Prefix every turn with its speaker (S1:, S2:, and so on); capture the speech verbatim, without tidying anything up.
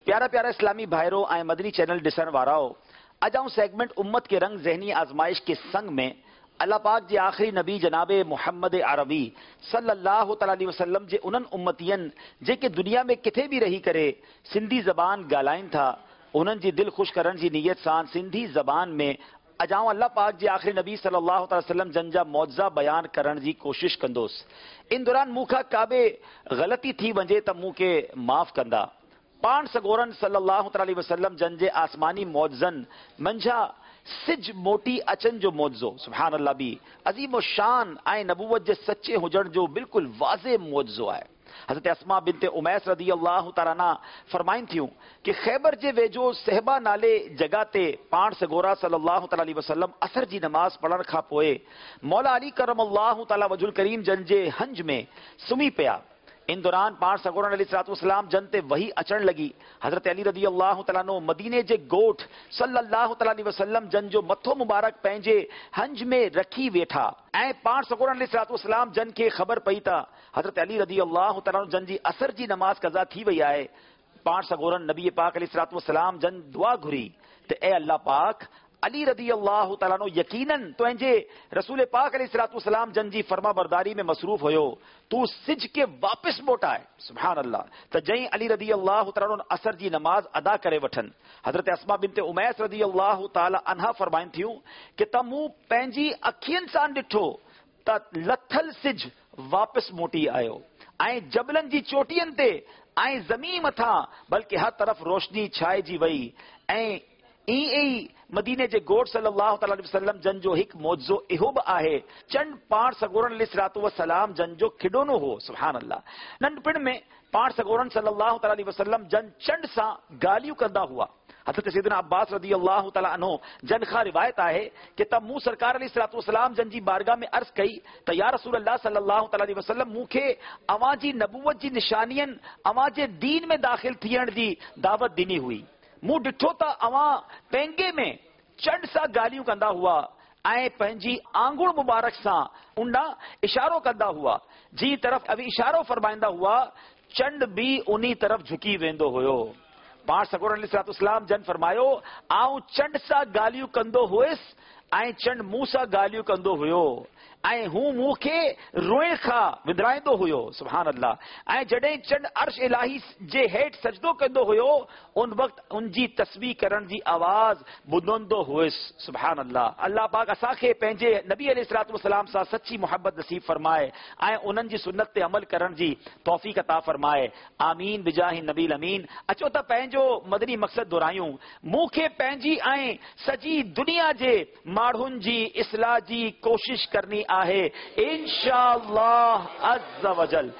S1: प्यारा प्यारा इस्लामी भाइरो ऐं मदनी चैनल ॾिसण वाराओ, अॼु आउं सेगमेंट उम्मत के रंग ज़हनी आज़माइश के संग में अल्लाह पाक जे आख़िरी नबी जनाब मोहम्मद अरबी सल्लल्लाहु तआला अलैहि वसल्लम जे उन्हनि उम्मतियनि जेके दुनिया में किथे बि रही करे सिंधी ज़बान ॻाल्हाइनि था, उन्हनि जी दिलि ख़ुशि करण जी नीयत सां सिंधी ज़बान में अॼु आउं अल्लाह पाक जे आख़िरी नबी सल्लल्लाहु तआला वसल्लम जन जा मौजज़ा बयान करण जी कोशिश कंदोसि। इन दौरान मूंखां का बि ग़लती थी वञे त मूंखे माफ़ कंदा। पाण सगोरनि सल्लल्लाहु तआला अलैहि वसल्लम जन जे आसमानी मौजज़नि मंझा सिज मोटी अचनि जो मौजज़ो, सुभान अल्लाह, बि अज़ीम शान ऐं नबूवत जे सच्चे हुजण जो बिल्कुलु वाज़े मौजज़ो आहे। हज़रत अस्मा बिनते उमैस रदी अल्लाह तआला अन्हा फरमाइनि थियूं कि ख़ैबर जे वेझो सहबा नाले जॻह ते पाण सगोरा सल्लल्लाहु तआला अलैहि वसल्लम असर जी नमाज़ पढ़ण खां पोइ मौला अली करम अल्लाह तआला वजुल करीम जन जे हंज में सुम्ही पिया। इन दौरान पाण सगोरनि अलैहि सलाम जन ते वही अचण लॻी। हज़रत अली रदी अल्लाह तआला अन्हु मदीने जे ॻोठ सल्लल्लाहु तआला अलैहि वसल्लम जन जो मथो मुबारक पंहिंजे हंज में रखी वेठा ऐं पाण सगोरनि अलैहि सलाम जन खे ख़बर पई त हज़रत अली रदी अल्लाह तआला अन्हु जन जी असर जी नमाज़ कज़ा थी वई आहे। पाण सगोरनि नबी पाक अलैहि सलाम जन दुआ घुरी त ए अल्लाह पाक, अली रदी अल्लाह तआला अन्हु यकीनन तुंहिंजे रसूल पाक अलैहि सलाम जन जी फर्मा बरदारी में मसरूफ हुयो, तूं सिज खे वापसि मोटाए। सुभान अल्लाह। त जई अली रदी अल्लाह तआला अन्हु असर जी नमाज़ अदा करे वठनि। हज़रत अस्मा बिनते उमैस रदी अल्लाह तआला अन्हा फरमाइनि थियूं कि त मूं पंहिंजी अखियुनि सां ॾिठो त लथल सिज वापसि मोटी आयो ऐं जबलनि जी चोटियुनि ते ऐं ज़मीन मथां बल्कि हर तरफ़ रोशनी छाइजी वई। ऐं ईअं ई मदीने जे ॻोठ सल्लल्लाहु तआला अलैहि वसल्लम जन जो हिकु मौजज़ो इहो बि आहे, चंड पाण सगोरनि अलैहि सलाम जन जो खिडोनो हो। सुभान अल्लाह। नंढपण में पाण सगोरनि सल्लल्लाहु तआला अलैहि वसल्लम जन चंड सां ॻाल्हियूं कंदा हुआ। हज़रत सैयदना अब्बास रदी अल्लाह तआला अन्हु जन खां रिवायत आहे कि त मूं सरकार अलैहि सलाम जन जी बारगाह में अर्ज़ कई त या रसूल अल्लाह सल्लल्लाहु तआला अलैहि वसल्लम, मूंखे अव्हां जी नबूवत जी निशानियुनि अव्हां जे दीन में दाख़िल थियण जी दावत ॾिनी हुई। मूं ॾिठो त अव्हां पेंगे में चंड सां ॻाल्हियूं कंदा हुआ ऐं पंहिंजी आंगुड़ मुबारक सां उन इशारो कंदा हुआ, जी तरफ़ अवी इशारो फरमाईंदा हुआ चंड बि उन्ही तरफ़ झुकी वेंदो हुयो। पाण सगोरनि अलैहि सलाम जन फरमायो, आउं चंड सां ॻाल्हियूं कंदो हुयुसि ऐं चंड मूं सां ॻाल्हियूं कंदो हुयो ऐं हू मूंखे रोइण खां विंदराईंदो हुयो। सुभान अल्लाह। ऐं जॾहिं चंड अर्श इलाही जे हेठि सजदो कंदो हुयो उन वक़्तु उनजी तस्बीह करण जी आवाज़ ॿुधंदो हुयुसि। सुभान अल्लाह। अल्लाह पाक असांखे पंहिंजे नबी अलैहि सलाम सां सच्ची मोहब्बत नसीब फरमाए ऐं उन्हनि जी सुन्नत ते अमल करण जी तौफ़ीक़ अता फरमाए। आमीन बिजाहि नबी अमीन। अचो त पंहिंजो मदनी मक़सदु दोहरायूं। मूंखे पंहिंजी ऐं सॼी दुनिया जे माण्हुनि जी इस्लाह जी कोशिश करणी आहे इंशाअल्लाह अज़्ज़ वजल।